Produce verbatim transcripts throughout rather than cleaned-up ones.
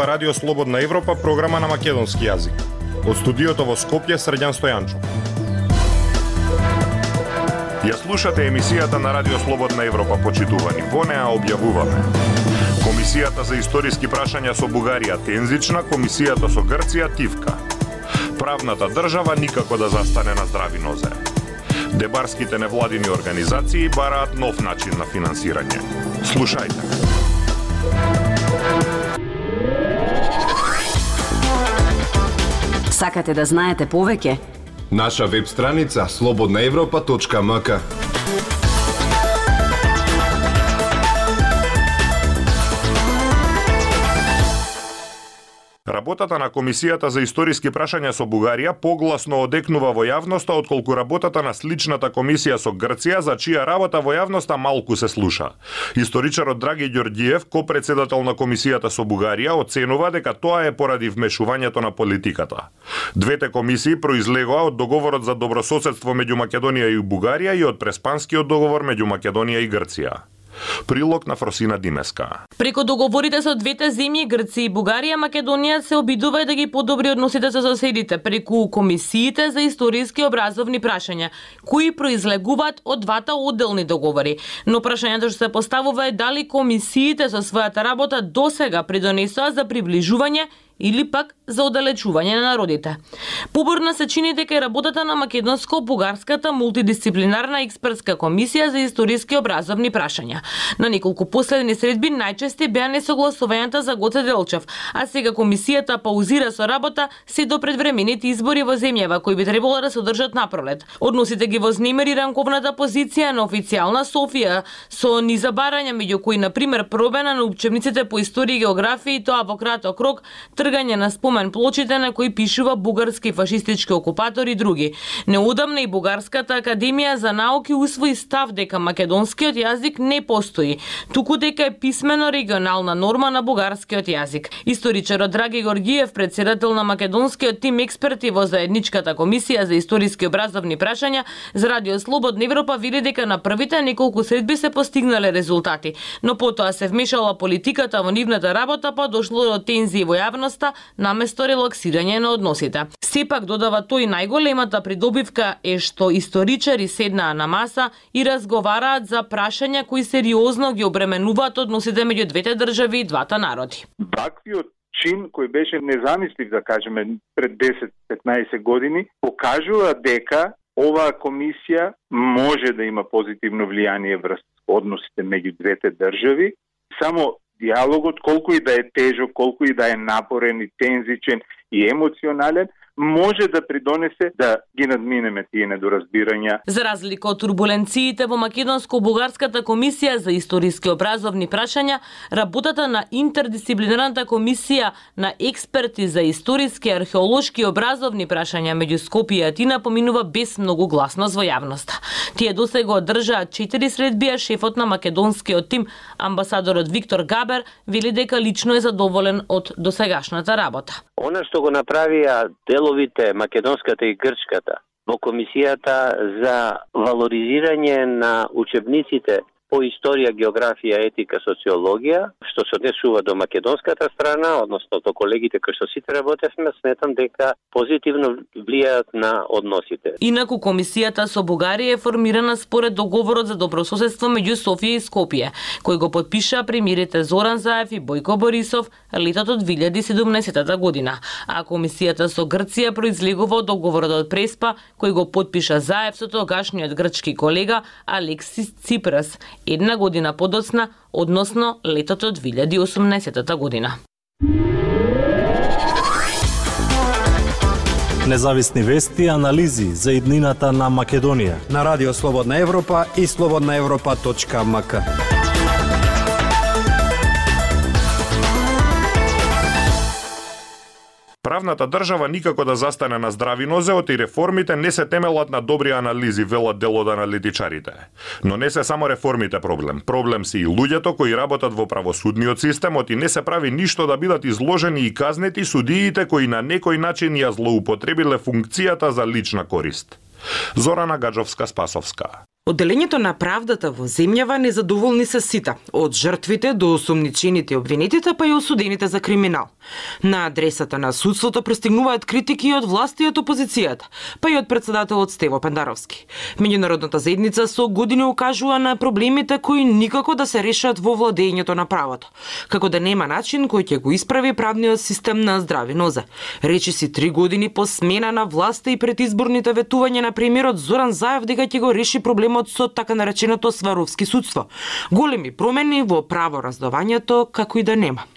ова Радио Слободна Европа, програма на македонски јазик. Од студиото во Скопје, Срđan Стојанчов. Ја слушате емисијата на Радио Слободна Европа, почитувани. Во неа објавуваме Комисијата за историски прашања со Бугарија тензична, Комисијата со Грција тивка. Правната држава никако да застане на здрави нозе. Дебарските невладини организации бараат нов начин на финансирање. Слушајте. Сакате да знаете повеќе? Наша веб страница слободна европа точка ем ка. Работата на Комисијата за историски прашања со Бугарија погласно одекнува во јавноста отколку работата на сличната комисија со Грција, за чија работа во јавноста малку се слуша. Историчарот Драги Ѓорѓиев, ко-председател на Комисијата со Бугарија, оценува дека тоа е поради вмешувањето на политиката. Двете комисии произлегоа од договорот за добрососедство меѓу Македонија и Бугарија и од Преспанскиот договор меѓу Македонија и Грција. Прилог на Фросина Димеска. Преку договорите со двете земји, Грција и Бугарија, Македонија се обидува да ги подобри односите со соседите преку комисиите за историски образовни прашања, кои произлегуваат од двата одделни договори. Но прашањето што се поставува е дали комисиите со својата работа досега придонесоа за приближување или пак за оддалечување на народите. Поборна се чини дека работата на македонско-бугарската мултидисциплинарна експертска комисија за историски образовни прашања. На неколку последни средби најчести беа несогласувањата за Гоце Делчев, а сега комисијата паузира со работа се до предвремените избори во земјава кои би требало да се одржат напролет. Односите ги вознемери ранковната позиција на официјална Софија со низа барања, меѓу кои на пример промена на учебниците по историја и географија, и тоа во краток рок, тргање на спомен плочите на кои пишува бугарски фашистички окупатори и други. Неодамна и Бугарската академија за науки усвои став дека македонскиот јазик не постои, туку дека е писмено регионална норма на бугарскиот јазик. Историчарот Драги Ѓорѓиев, председател на македонскиот тим експерти во заедничката комисија за историски образовни прашања за Радио Слободна Европа, вели дека на првите неколку средби се постигнале резултати, но потоа се вмешала политиката во нивната работа, па дошло до тензии во јавност наместо релаксирање на односите. Сепак, додава тој, најголемата придобивка е што историчари седнаа на маса и разговараат за прашања кои сериозно ги обременуваат односите меѓу двете држави и двата народи. Ваквиот чин кој беше незамислив, да кажеме, пред десет-петнаесет години, покажува дека оваа комисија може да има позитивно влијание врз односите меѓу двете држави. Само диалогот, колку и да е тежок, колку и да е напорен и тензичен и емоционален, може да придонесе да ги надминеме тие недоразбирања. За разлика од турбуленциите во Македонско-бугарската комисија за историски образовни прашања, работата на интердисциплинарната комисија на експерти за историски, археолошки и образовни прашања меѓу Скопје и Атина поминува без многу гласност во јавноста. Тие досега одржаа четири средби, а шефот на македонскиот тим, амбасадорот Виктор Габер, вели дека лично е задоволен од досегашната работа. Она што го направија деловите македонската и грчката во комисијата за валоризирање на учебниците по историја, географија, етика, социологија, што се однесува до македонската страна, односно до колегите кои што сите работевме, сметам дека позитивно влијаат на односите. Инаку комисијата со Бугарија е формирана според договорот за добрососедство меѓу Софија и Скопје, кој го подпишаа премиерите Зоран Заев и Бојко Борисов летото две илјади и седумнаесета година, а комисијата со Грција произлегува од договорот од Преспа, кој го подпиша Заев со тогашниот грчки колега Алексис Ципрас една година подоцна, односно летото две илјади и осумнаесета година. Независни вести и анализи за иднината на Македонија на Радио Слободна Европа и слободна европа точка ем ка. Правната држава никако да застане на здрави нозе, оти реформите не се темелат на добри анализи, велат дел од аналитичарите. Но не се само реформите проблем. Проблем се и луѓето кои работат во правосудниот систем, оти не се прави ништо да бидат изложени и казнети судиите кои на некој начин ја злоупотребиле функцијата за лична корист. Зорана Гаджовска-Спасовска. Одделењето на правдата во земјава незадоволни се сите, од жртвите до осомничените и обвинетите, па и осудените за криминал. На адресата на судството пристигнуваат критики од власти и од опозицијата, па и од председателот Стево Пендаровски. Меѓународната заедница со години укажува на проблемите кои никако да се решат во владењето на правото, како да нема начин кој ќе го исправи правниот систем на здрави нозе. Речи си три години по смена на власта и предизборните ветувања на премиерот Зоран Заев дека ќе го реши проблемот со така нареченото сваровски судство. Големи промени во правораздавањето како и да нема.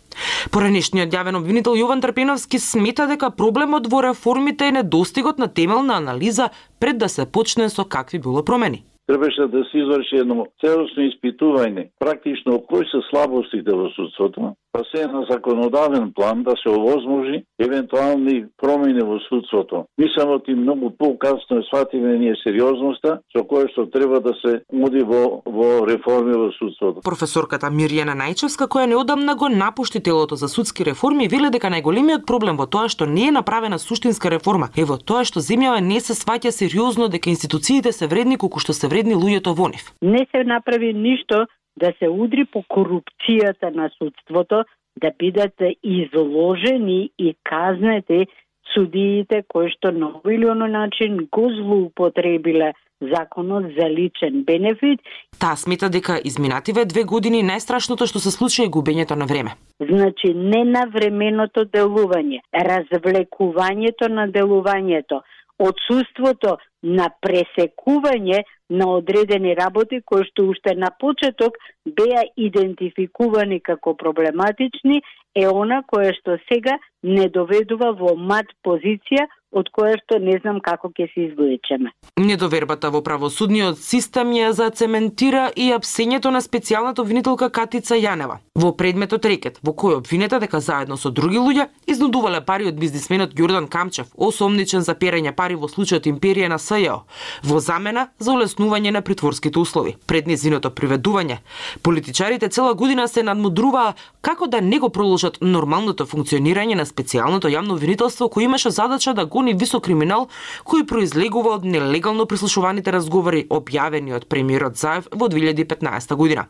Поранешниот јавен обвинител Јован Трпеновски смета дека проблемот во реформите е недостигот на темелна анализа пред да се почне со какви било промени. Требаше да се изврши едно целосно испитување, практично кои се слабостите во судството, па се на законодавен план да се овозможи евентуални промени во судството. Мислам оти многу покасно сватиме ние сериозноста со која што треба да се уди во, во реформи во судството. Професорката Мирјана Најчевска, која неодамна го напушти телото за судски реформи, вели дека најголемиот проблем во тоа што не е направена суштинска реформа е во тоа што земјава не се сваќа сериозно дека институциите се вредни колку што се вредни луѓето во нив. Не се направи ништо да се удри по корупцијата на судството, да бидат изложени и казнети судиите кои што на овој или оној начин го злоупотребиле законот за личен бенефит. Таа смета дека изминативе две години најстрашното што се случи е губењето на време. Значи ненавременото делување, развлекувањето на делувањето, отсуството на пресекување на одредени работи кои што уште на почеток беа идентификувани како проблематични, е она кое што сега не доведува во мат позиција од која што не знам како ќе се извлечеме. Недовербата во правосудниот систем ја зацементира и апсењето на специјалната обвинителка Катица Јанева во предметот рекет, во кој обвинета дека заедно со други луѓе изнудувале пари од бизнисменот Ѓордан Камчев, осомничен за перење пари во случајот Империја на СЈО, во замена за улеснување на притворските услови. Пред незиното приведување, политичарите цела година се надмудруваа како да не го продолжат нормалното функционирање на специјалното јавно обвинителство кој имаше задача да гони висок криминал кој произлегува од нелегално прислушуваните разговори објавени од премиерот Заев во две илјади и петнаесета година.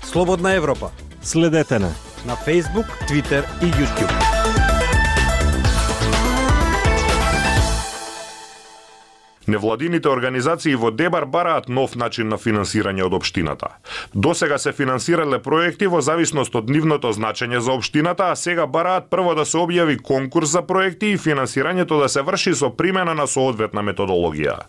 Слободна Европа. Следете на на Facebook, Twitter и YouTube. Невладините организации во Дебар бараат нов начин на финансирање од општината. Досега се финансирале проекти во зависност од нивното значење за општината, а сега бараат прво да се објави конкурс за проекти и финансирањето да се врши со примена на соодветна методологија.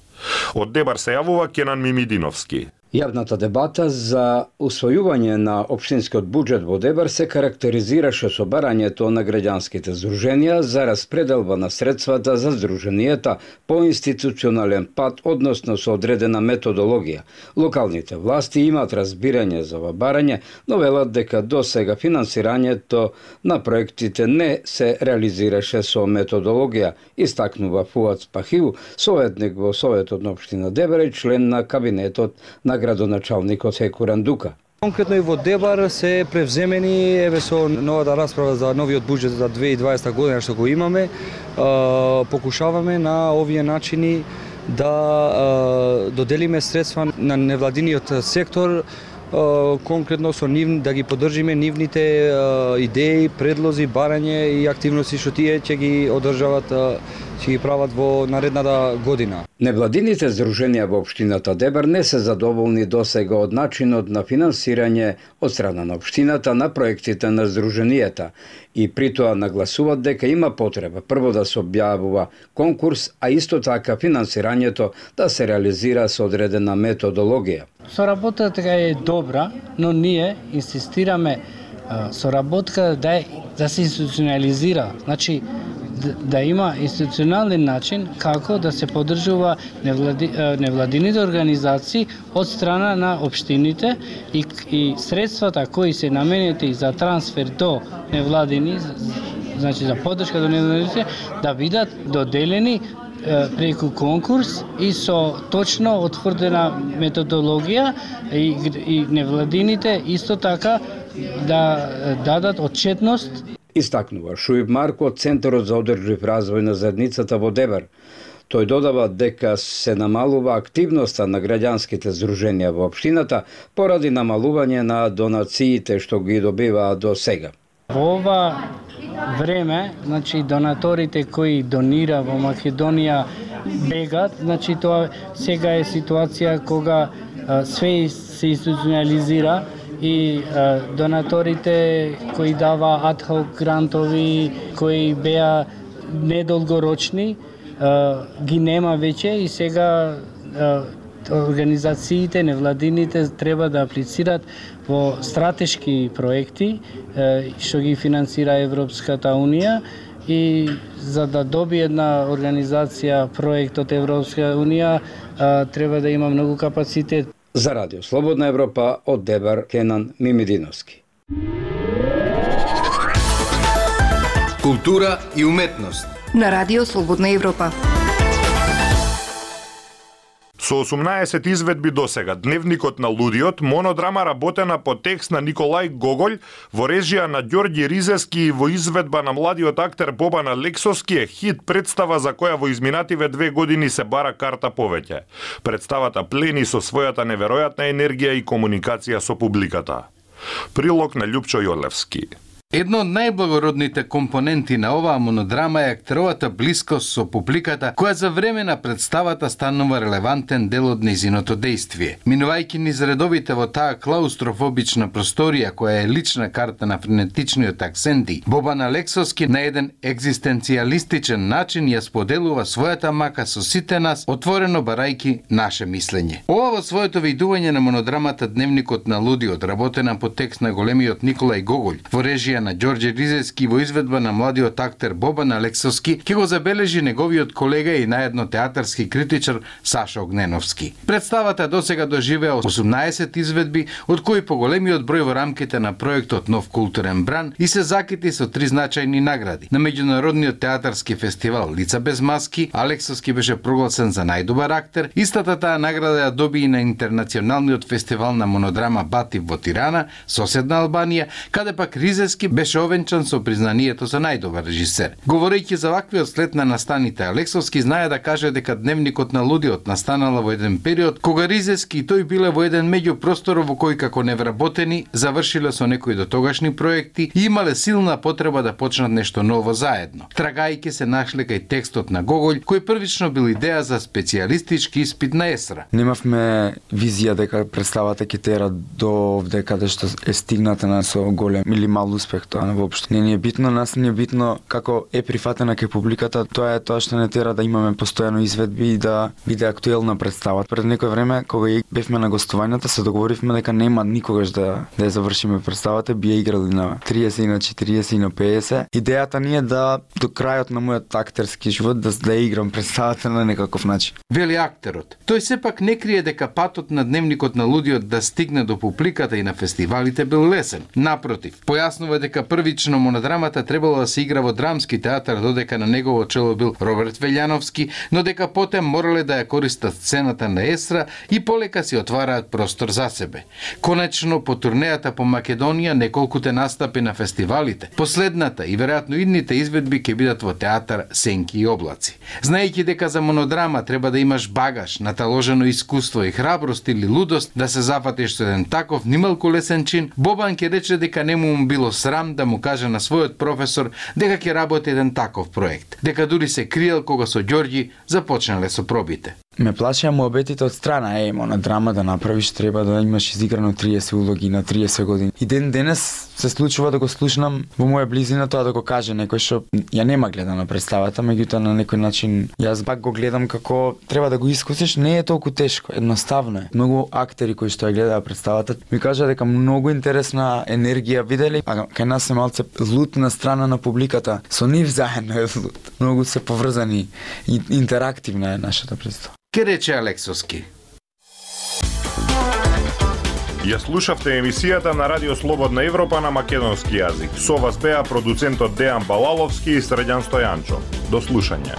Од Дебар се јавува Кенан Мимидиновски. Јавната дебата за усвојување на општинскиот буџет во Дебар се карактеризираше со барањето на граѓанските здруженија за распределба на средствата за здруженијата по институционален пат, односно со одредена методологија. Локалните власти имаат разбирање за ова барање, но велат дека до сега финансирањето на проектите не се реализираше со методологија, истакнува Фуад Спахил, советник во Советот на општина Дебар и член на кабинетот на градоначалникот Секу Рандука. Конкретно и во Дебар се превземени еве со новата расправа за новиот буџет за две илјади и дваесета година што го имаме, покушаваме на овие начини да доделиме средства на невладиниот сектор, конкретно со нив да ги поддржиме нивните идеи, предлози, барање и активности што тие ќе ги одржават, ќе ги прават во наредната година. Невладините здруженија во општината Дебар не се задоволни досега од начинот на финансирање од страна на општината на проектите на здруженијата и при тоа нагласуваат дека има потреба прво да се објавува конкурс, а исто така финансирањето да се реализира со одредена методологија. Соработката е добра, но ние инсистираме соработка да, е, да се институционализира, значи да, да има институционален начин како да се поддржува невлади, невладините организации од страна на општините и, и средствата кои се наменети за трансфер до невладини, значи за поддршка до невладините, да бидат доделени преку конкурс и со точно утврдена методологија и, и невладините исто така да дадат отчетност. Истакнува Шуиб Марко од Центарот за одржлив развој на заедницата во Дебар. Тој додава дека се намалува активноста на граѓанските здруженија во општината поради намалување на донациите што ги добиваа до сега. Во ова време, значи донаторите кои донира во Македонија бегат, значи тоа сега е ситуација кога а, све се институционализира и а, донаторите кои дава адхок грантови, кои беа недолгорочни, а, ги нема веќе и сега а, организациите, невладините треба да аплицираат во стратешки проекти што ги финансира Европската Унија и за да добие една организација проект од Европска Унија треба да има многу капацитет. За Радио Слободна Европа од Дебар Кенан Мимидиновски. Култура и уметност на Радио Слободна Европа. Со осумнаесет изведби досега, Дневникот на лудиот, монодрама работена по текст на Николај Гоголј, во режија на Ѓорѓи Ризески и во изведба на младиот актер Бобан Алексовски е хит представа за која во изминативе две години се бара карта повеќе. Представата плени со својата неверојатна енергија и комуникација со публиката. Прилог на Љупчо Јолевски. Едно од најблагородните компоненти на оваа монодрама е актеровата блискост со публиката, која за време на представата станува релевантен дел од нејзиното дејствие. Минувајќи низ редовите во таа клаустрофобична просторија, која е лична карта на френетичниот акценти, Бобан Алексовски на еден екзистенцијалистичен начин ја споделува својата мака со сите нас, отворено барајки наше мислење. Ова во своето видување на монодрамата Дневникот на лудиот, работена по текст на големиот Николај Гоголј, во режија на Ѓорѓе Ризески во изведба на младиот актер Бобан Алексовски, ќе го забележи неговиот колега и наедно театарски критичар Саша Огненовски. Представата досега доживеа осумнаесет изведби, од кои поголемиот број во рамките на проектот Нов културен бран и се закити со три значајни награди. На меѓународниот театарски фестивал Лица без маски, Алексовски беше прогласен за најдобар актер. Истата таа награда ја доби и на интернационалниот фестивал на монодрама Батив во Тирана, соседна Албанија, каде пак Ризески беше овенчан со признанието за најдобар режисер. Говорејќи за ваквиот след на настаните, Алексовски знае да каже дека Дневникот на лудиот настанала во еден период кога Ризески и тој биле во еден меѓупростор во кој како невработени завршиле со некои дотогашни проекти и имале силна потреба да почнат нешто ново заедно. Трагајќи се нашле кај текстот на Гоголј, кој првично бил идеја за специјалистички испит на ЕСРА. Немавме визија дека представата ќе тера до овде каде што е стигната на со голем или мал успех, тоа воопшто не ни е битно, нас не е битно како е прифатена кај публиката, тоа е тоа што не тера да имаме постојано изведби и да биде актуелна представа. Пред некој време кога бевме на гостувањата се договоривме дека нема никогаш да да ја завршиме представата, би ја играли на триесет и на четириесет и на педесет. Идејата ни е да до крајот на мојот актерски живот да да ја играм представата на некаков начин. Вели актерот. Тој сепак не крие дека патот на Дневникот на лудиот да стигне до публиката и на фестивалите бил лесен. Напротив, појаснува дека првично монодрамата требало да се игра во драмски театар, додека на негово чело бил Роберт Велјановски, но дека потем морале да ја користат сцената на ЕСРА и полека си отвараат простор за себе. Конечно, по турнејата по Македонија, неколкуте настапи на фестивалите, последната и веројатно идните изведби ќе бидат во театар Сенки и облаци. Знаејќи дека за монодрама треба да имаш багаж, наталожено искуство и храброст или лудост да се запатиш со еден таков нималку лесен чин, Бобан ќе рече дека не му било срам да му каже на својот професор дека ќе работи еден таков проект, дека дури се криел кога со Ѓорѓи започнале со пробите. Ме плашеа муабетите од страна, е, монодрама да направиш, треба да имаш изиграно триесет улоги на триесет години. И ден денес се случува да го слушнам во моја близина тоа да го каже некој што ја нема гледана представата, меѓутоа на некој начин јас пак го гледам како треба да го искусиш, не е толку тешко, едноставно е. Многу актери кои што ја гледаа представата ми кажа дека многу интересна енергија виделе, а кај нас е малце лут страна на публиката. Со нив заедно е лут. Многу се поврзани и интерактивна е нашата представа. Ке рече Алексовски. Ја слушавте емисијата на Радио Слободна Европа на македонски јазик. Со вас беа продуцентот Дејан Балаловски и Средјан Стојанчо. До слушање.